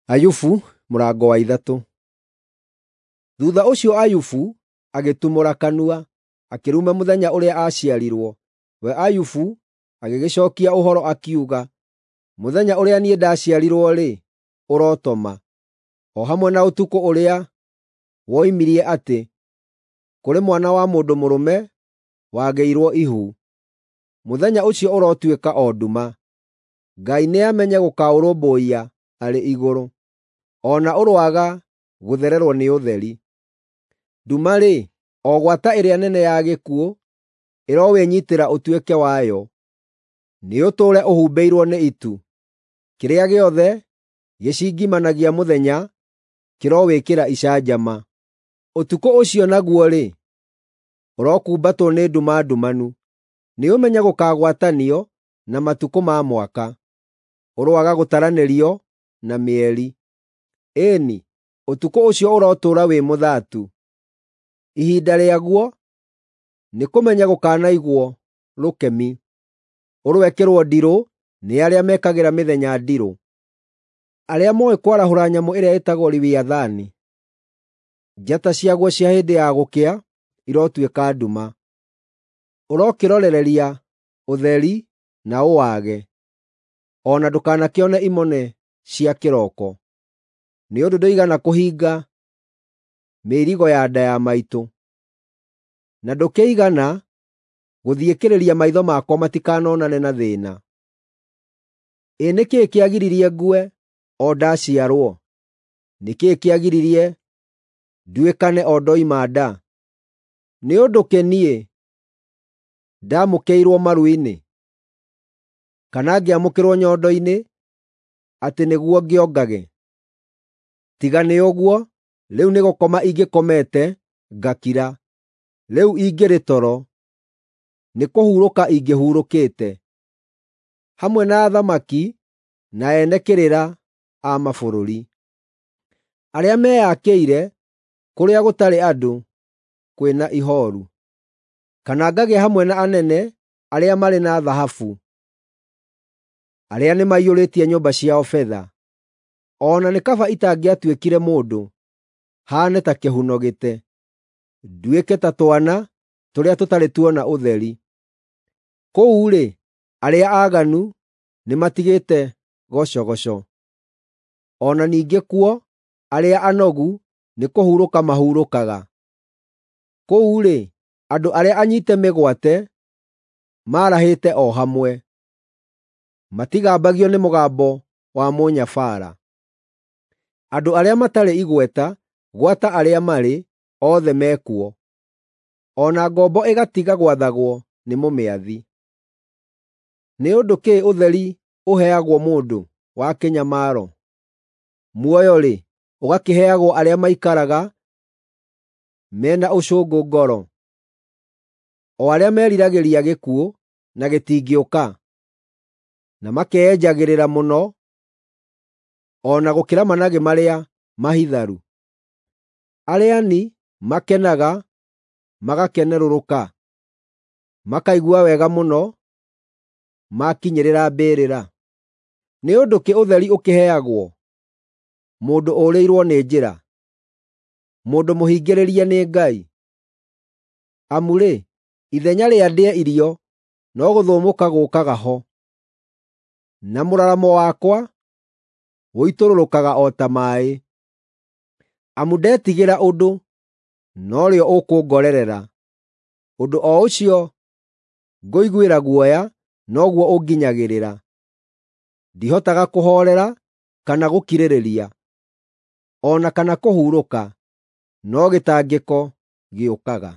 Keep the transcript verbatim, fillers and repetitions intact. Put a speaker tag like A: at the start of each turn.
A: Ayubu mũrango wa ithatũ. Thuutha ũcio Ayubu agĩtumũra kanua, akĩruma mũthenya ũrĩa aaciarirwo. We Ayubu agĩgĩcookia ũhoro akiuga, “Mũthenya ũrĩa niĩ ndaciarirwo-rĩ, ũrotoma, o hamwe na ũtukũ ũrĩa woimirie atĩ, kũrĩ mwana wa mũndũ mũrũme wagĩirwo ihu. Mũthenya ũcio ũrotuĩka o nduma. Ngai nĩamenye gũkaũrũmbũiya arĩ igũrũ, o na ũroaga gũthererwo nĩ ũtheri. Nduma-rĩ, o gwata ĩrĩa nene ya gĩkuũ, ĩrowĩnyiitĩra ũtuĩke wayo. Nĩũtũũre ũhumbĩirwo nĩ itu. Kĩrĩa gĩothe gĩcingimanagia mũthenya kĩrowĩkĩra icanjama. Ũtukũ ũcio naguo-rĩ, ũrokumbatwo nĩ nduma ndumanu. Nĩũmenye gũkaagwatanio na matukũ ma mwaka, ũroaga gũtaranĩrio na mĩeri. Ĩĩ-ni, ũtukũ ũcio ũrotũũra wĩ mũthaatu. Ihinda rĩaguo nĩkũmenya gũkanaigwo rũkemi. Ũroekĩrwo ndirũ nĩ arĩa mekagĩra mĩthenya ndirũ, arĩa mooĩ kwarahũra nyamũ ĩrĩa ĩtagwo Lewiathani. Njata ciaguo cia hĩndĩ ya gũkĩa irotuĩka nduma. Ũrokĩrorereria ũtheri na ũwage, o na ndũkanakĩone imone cia kĩroko, nĩ ũndũ ndũigana kũhinga mĩirigo ya nda ya maitũ, na ndũkĩigana gũthiĩkĩrĩria maitho makwa matikanonane na thĩĩna. Ĩ nĩ kĩĩ kĩagiririe ngue o ndaciarwo? Nĩ kĩĩ kĩagiririe nduĩkane o ndoima nda? Nĩ ũndũ kĩ niĩ ndaamũkĩirwo maru-inĩ, kana ngĩamũkĩrwo nyondo-inĩ atĩ nĩguo ngĩongage? Tiga nĩ ũguo, rĩu nĩgũkoma ingĩkomete ngakira, rĩu ingĩrĩ toro, nĩkũhurũka ingĩhurũkĩte, hamwe na athamaki na ene kĩrĩra a mabũrũri, arĩa meyakĩire kũrĩa gũtarĩ andũ kwĩ na ihooru, kana ngagĩa hamwe na anene arĩa marĩ na thahabu, arĩa nĩmaiyũrĩtie nyũmba ciao betha. O na nĩ kaba itangĩatuĩkire mũndũ, haane ta kĩhuno gĩte, nduĩke ta twana tũrĩa tũtarĩ tuona ũtheri. Kũu-rĩ, arĩa aaganu nĩmatigĩte gocogoco, o na ningĩ kuo arĩa anogu nĩkũhurũka mahurũkaga. Kũu-rĩ, andũ arĩa anyiite mĩgwate maarahĩte o hamwe, matigambagio nĩ mũgambo wa mũnyabaara. Andũ arĩa matarĩ igweta, gwata arĩa marĩ, othe mekuo, o na ngombo ĩgatiga gwathagwo nĩ mũmĩathi. Nĩ ũndũ kĩ ũtheri ũheagwo mũndũ wa kĩnyamaro? Muoyo-rĩ, ũgakĩheagwo arĩa maikaraga me na ũcũngũ ngoro, o arĩa meriragĩria gĩkuũ na gĩtingĩũka, na makeyenjagĩrĩra mũno o na gũkĩra managĩ marĩa mahitharu. Arĩa-ni makenaga magakenerũrũka, makaigua wega mũno maakinyĩrĩra mbĩrĩra. Nĩ ũndũ kĩ ũtheri ũkĩheagwo mũndũ ũũrĩirwo nĩ njĩra, mũndũ mũhingĩrĩrie nĩ Ngai? Amu-rĩ, ithenya rĩa ndĩe irio no gũthũmũka gũũkaga ho, na mũraramo wakwa ũitũrũrũkaga o ta maaĩ. Amu ndetigĩra ũndũ, norĩo ũkũngorerera; ũndũ o ũcio ngũiguĩra guoya noguo ũnginyagĩrĩra. Ndihotaga kũhoorera kana gũkirĩrĩria, o na kana kũhurũka, no gĩtangĩko gĩũkaga.